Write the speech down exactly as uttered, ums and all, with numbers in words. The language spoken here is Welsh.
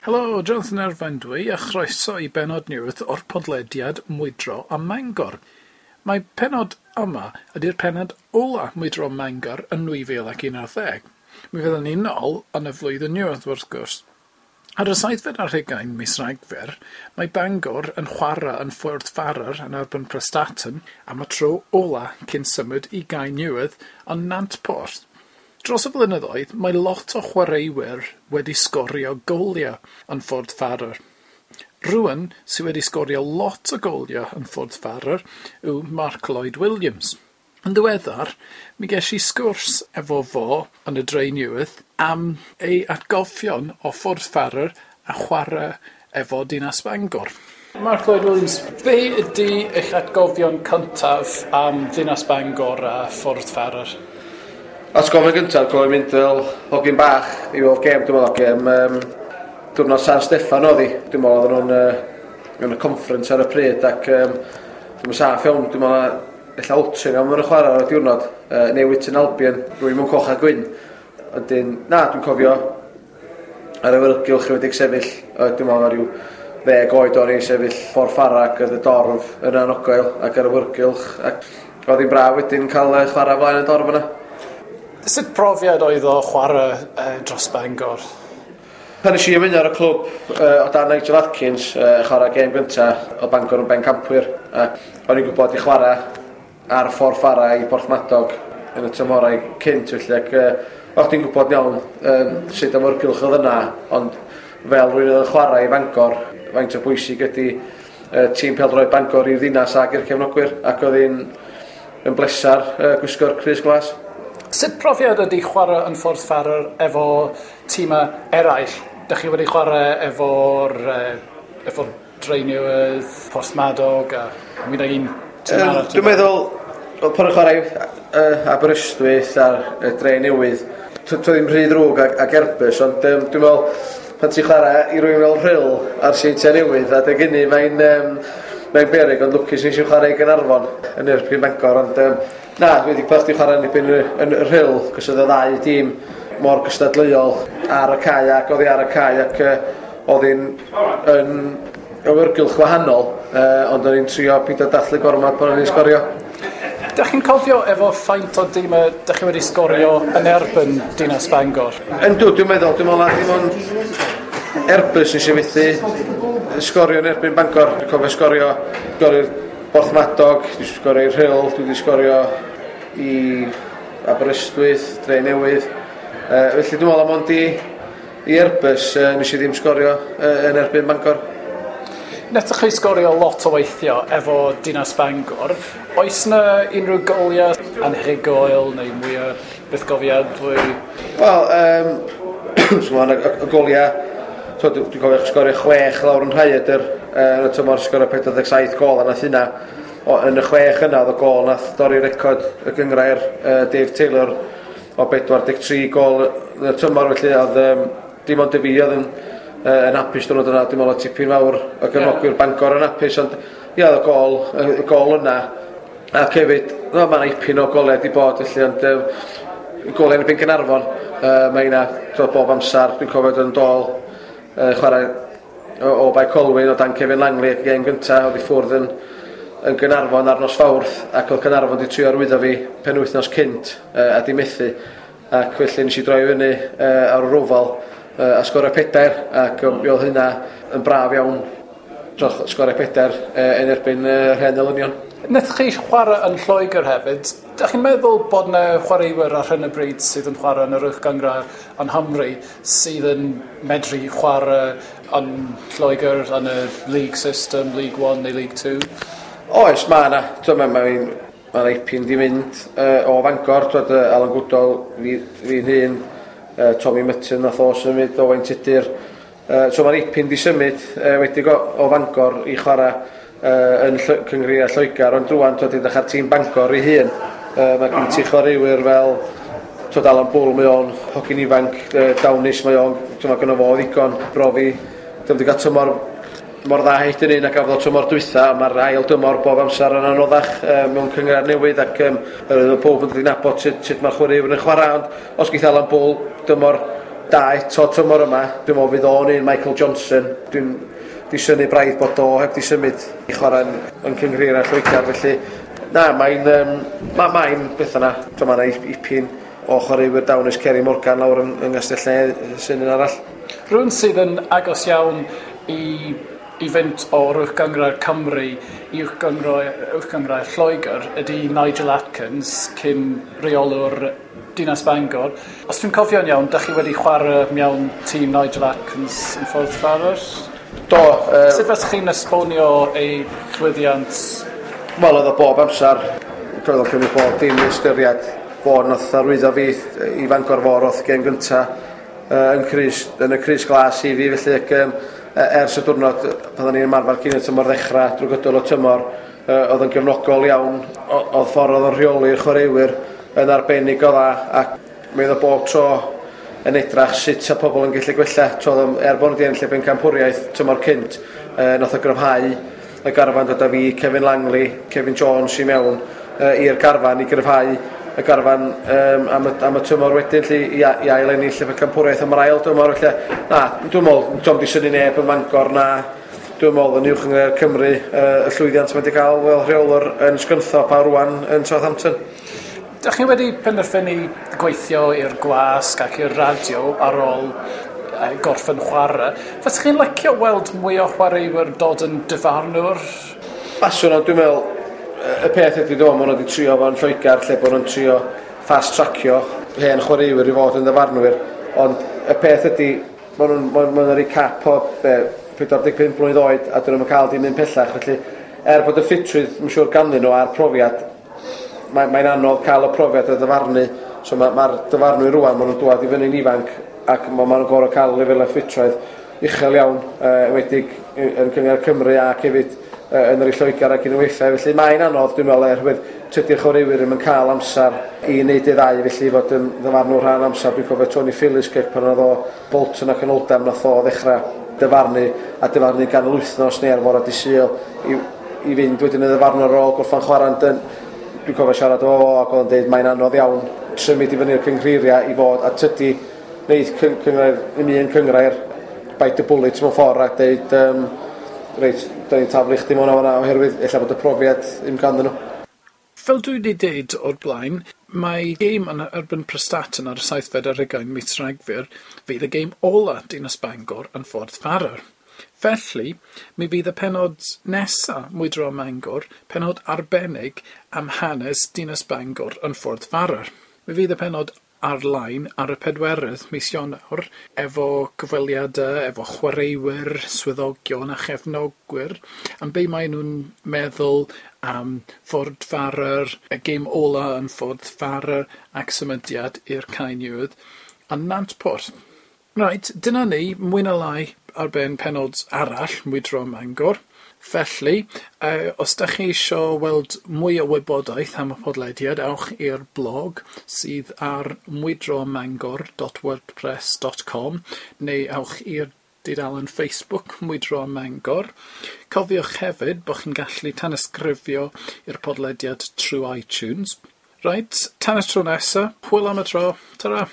Helo, Jonathan Erfain dwi, a chroeso i bennod newydd o'r podlediad Mwydro a Mangor. Mae pennod yma ydy'r pennod ola Mwydro Mangor yn nwy fil ac un ar ddeg. Mi fyddwn ni'n ôl yn y flwyddyn newydd wrth gwrs. Ar y saithfed ar hugain mis Rhagfyr, mae Bangor yn chwarae yn Ffordd Farrar yn erbyn Prestatyn am y tro ola cyn symud i Gae Newydd yn Nantporth. Dros y blynyddoedd, mae lot o chwaraewyr wedi sgorio goliau yn Ffordd Farrar. Rhywun sydd wedi sgorio lot o goliau yn Ffordd Farrar yw Mark Lloyd Williams. Yn ddiweddar, mi ges i sgwrs efo fo yn y Dre Newydd am ei atgofion o Ffordd Farrar a chwarae efo Dinas Bangor. Mark Lloyd Williams, be ydy eich atgofion cyntaf am Ddinas Bangor a Ffordd Farrar? Atgoffa gyntaf, cofio mynd fel hogyn bach i weld gêm, dwi'n meddwl, gêm um, diwrnod San Steffan oedd hi. Dwi'n meddwl oedden nhw'n uh, yn y conference ar y pryd ac um, dwi'n meddwl saff iawn, dwi'n meddwl ella Altrincham yn y chwarae ar y diwrnod, uh, neu Witton Albion, rwy'n mewn coch a gwyn. Wedyn, na, dwi'n cofio ar y awyrgylch wedi sefyll, uh, dwi'n meddwl ar ryw ddeg oed o'n i sefyll Ffordd Ffarrar ac oedd y dorf yn anogael ac ar y awyrgylch, ac oedd hi'n braf wedyn cael uh, chwarae flaen y dorf yna. Sut profiad oedd o chwarae uh, dros Bangor? Pan nes i ymuno ar y clwb uh, o dan Nigel Atkins, uh, chwarae gêm gyntaf o Bangor yn bencampwyr, ac o'n i'n gwybod i chwarae ar Ffordd Ffarrar i Porthmadog yn y tymhorau cynt felly, ac uh, o'ch ti'n gwybod iawn um, sut awyrgylch oedd yna, ond fel rwy'n oedd yn chwarae i Bangor, faint o bwysig ydy uh, tîm pêl-droed Bangor i'r ddinas ac i'r cefnogwyr, ac oedd hi'n yn blesar uh, gwisgo'r crys glas. Sut profiad ydy chwarae yn Ffordd Farrar efo tîmau eraill? Dych chi wedi chwarae efo'r uh, efo Drenewydd, Porthmadog a mwy nag un tîm um, arall? Dwi'n meddwl, pan o'n chwarae uh, Aberystwyth a'r uh, Drenewydd, to ddim rhy ddrwg ag, ag Airbus, ond um, dwi'n meddwl, pan ti'n chwarae i rywun fel Rhyl a'r Seintiau Newydd, adeg hynny mae'n um, mae'n beryg, ond lwcus nes i chwarae i Gaernarfon yn erbyn Bangor, ond um, na, dwi wedi peth i chwarae yn erbyn yn y Rhyl, cos oedd y ddau dîm mor gystadleuol ar y cae ac oddi ar y cae, ac uh, oedd hi'n yn awyrgylch wahanol, uh, ond o'n i'n trio pido dathlu gormod pan o'n i'n sgorio. Dach chi'n cofio efo faint o dîmau dach chi wedi sgorio yn erbyn Dinas Bangor? Yndw, dwi'n meddwl, dwi'n meddwl na dim ond Airbus nes i fethu sgorio yn erbyn Bangor. Dwi'n cofio sgorio, sgorio Porthmadog, dwi'n sgorio i'r Rhyl, dwi wedi sgorio i Aberystwyth, Dre Newydd. Uh, felly dwi'n meddwl am ond i, i Airbus uh, nes i ddim sgorio uh, yn erbyn Bangor. Nethoch chi sgorio lot o weithio efo Dinas Bangor. Oes na unrhyw goliau anhygoel neu mwyaf bythgofiadwy? Wel, um, so, y, y goliau, so, dwi'n cofio sgorio chwech lawr yn Rhaeadr, uh, yn y tymor sgorio pedwar deg saith gol, a nath hynna, o, yn y chwech yna oedd y gol nath dorri record y gynghrair uh, Dave Taylor o bedwar deg tri gol yn y tymor, felly oedd um, dim ond y fi oedd yn, uh, yn hapus diwrnod yna, dwi'n meddwl oedd tipyn fawr o gefnogwyr yeah. Bangor yn hapus, ond ia, oedd y gol, y gol yna, ac hefyd, no, mae'n ipyn o golau di bod, felly, ond um, golau yn erbyn Caernarfon, uh, mae hynna bob amser, dwi'n cofio dod yn dôl, uh, chwarae o, o Bae Colwyn o dan Kevin Langley, gêm gyntaf, oedd i ffwrdd yn, yn Gaernarfon ar nos Fawrth, ac oedd Caernarfon wedi trio arwyddo fi penwythnos cynt uh, a di methu, ac felly nes i droi fyny uh, ar yr ofal uh, a sgorio pedair, ac um, oedd hynna yn braf iawn dros sgorio pedair uh, yn erbyn uh, rhen elynion. Nethoch chi chwarae yn Lloegr hefyd. Dach chi'n meddwl bod yna chwaraewyr ar hyn o bryd sydd yn chwarae yn yr uwch gynghrair yn Nghymru sydd yn medru chwarae yn Lloegr yn y league system, League One neu League Two? Oes, mae yna. Mae ma, ma ipyn di mynd uh, o Fangor, twyd, uh, Alan Goodall, fi, fi'n hun, uh, Tommy Mutton nath o symud, Owain Tudur. Uh, so mae'n ipyn di symud uh, wedi go, o Fangor i chwarae uh, yn Cynghrair Lloegr, ond rŵan twyd, edrych ar tîm Bangor ei hun. Uh, mae gen ti chwaraewyr fel twyd, Alan Bull, mae o'n hogyn ifanc, uh, dawnus mae o'n, mae gynno fo ddigon brofi. Dwi'n wedi cael tymor mor dda hyd yn un ac gafodd o tymor dwytha, mae'r ail dymor bob amser yn anoddach uh, mewn cynghrair newydd, ac um, yr oedd pob yn dod i nabod sut, sut mae'r chwaraewyr yn chwarae, ond os geith Alan Bull dymor da eto tymor yma. Dwi'n meddwl fydd o'n un Michael Johnson. Dwi'n di synnu braidd bod o heb di symud i chwarae yn, yn cynghreiriau Lloegr, felly na, mae'n um, ma, mae'n beth yna. Dyma yna ipyn o chwaraewyr dawnus Kerry Morgan lawr yng, yng Nghastell sy'n un arall. Rhywun sydd yn agos iawn i, i fynd o'r Uwch Gynghrair Cymru i Uwch Gynghrair, Uwch Gynghrair Lloegr ydy Nigel Atkins, cyn reolwr Dinas Bangor. Os dwi'n cofio'n iawn, dach chi wedi chwarae mewn tîm Nigel Atkins yn Ffordd Farrar? Do. Uh, Sut faswch chi'n esbonio ei llwyddiant? Wel, oedd o bob amser, oedd o'n cymryd bob dim i ystyried. Fo nath arwyddo fi i Fangor fo roth gêm gynta uh, yn, crys, yn y crys glas i fi, felly ac, um, ers y diwrnod pan o'n i'n ymarfer cyn y tymor ddechrau drwy gydol y tymor, uh, oedd yn gefnogol iawn, oedd ffordd oedd yn rheoli'r chwaraewyr yn arbennig o dda, ac mi oedd o bob tro yn edrach sut sa pobl yn gallu gwella. Trodd, er bod nhw wedi ennill y bencampwriaeth tymor cynt, uh, nath o gryfhau y garfan, dod â fi, Kevin Langley, Kevin Jones i mewn uh, i'r garfan i gryfhau y garfan um, am, y, am y tymor wedyn lly, i, i ail ennill y bencampwriaeth am yr ail dymor. Felly, na, dwi'n meddwl, dwi'n di synnu neb yn Mangor na, dwi'n meddwl yn Uwch Gynghrair Cymru uh, y llwyddiant mae wedi cael fel rheolwr yn Scunthorpe a rwan yn Southampton. Dach chi wedi penderfynu gweithio i'r gwasg ac i'r radio ar ôl gorffen chwarae. Faswch chi'n licio weld mwy o chwaraewyr dod yn dyfarnwr? Baswn, ond dwi'n meddwl, y peth ydy dwi'n meddwl, maen nhw wedi trio fo'n Lloegr, lle bod nhw'n trio fast-tracio hen chwaraewyr i fod yn ddyfarnwyr. Ond y peth ydy, maen nhw'n ma nhw'n rhoi cap o be, pedwar deg pump mlwydd oed a dyn nhw'n cael dim un pellach. Felly, er bod y ffitrwydd, mae'n siŵr ganddyn nhw a'r profiad, mae'n mae anodd cael y profiad o ddyfarnu. So mae'r ma dyfarnwyr rwan, maen nhw'n dŵad i fyny'n ifanc ac maen nhw'n gorfod cael lefelau ffitrwydd uchel iawn, uh, enwedig yn Cynghrair Cymru ac hefyd uh, yn yr Lloegr ac yn y weithiau. Felly mae'n anodd, dwi'n meddwl, oherwydd tydi'r chwaraewyr ddim yn cael amser i wneud ei ddau, felly fod yn ddyfarnwr rhan amser. Dwi'n cofio Tony Philliskirk pan oedd o Bolton ac yn Oldham, nath o ddechrau dyfarnu a dyfarnu ganol wythnos neu ar fore dydd Sul i, i fynd wedyn yn ddyfarnwr ar ôl gorffan chwarae. Dwi'n cofio siarad o fo ac oedd o'n dweud mae'n anodd iawn symud i fyny'r cynghreiriau i fod, a tydi wneud cynghrair, un un cynghrair, bite the bullet mewn ffordd a dweud um, reit, da ni'n taflu chdi mewn o fan'na oherwydd ella bod y profiad ddim ganddyn nhw. Fel dwi wedi deud o'r blaen, mae gêm yn erbyn Prestatyn ar y saithfed ar hugain mis Rhagfyr fydd y gêm ola Dinas Bangor yn Ffordd Farrar. Felly, mi fydd y pennod nesa Mwydro Mangor, pennod arbennig am hanes Dinas Bangor yn Ffordd Farrar. Mi fydd y pennod ar-lein ar y pedwerydd mis Ionawr efo cyfweliadau, efo chwaraewyr, swyddogion a chefnogwyr am be maen nhw'n meddwl am Ffordd Farrar, y gêm ola yn Ffordd Farrar ac symudiad i'r Cae Newydd a Nantporth. Reit, dyna ni, mwy na lai ar ben pennod arall Mwydro Mangor. Felly, uh, os da chi isio weld mwy o wybodaeth am y podlediad, ewch i'r blog sydd ar mwydro mangor dot wordpress dot com neu ewch i'r dudalen Facebook Mwydro Mangor. Cofiwch hefyd bod chi'n gallu tanysgrifio i'r podlediad trwy iTunes. Reit, tan y tro nesa, hwyl am y tro, tara!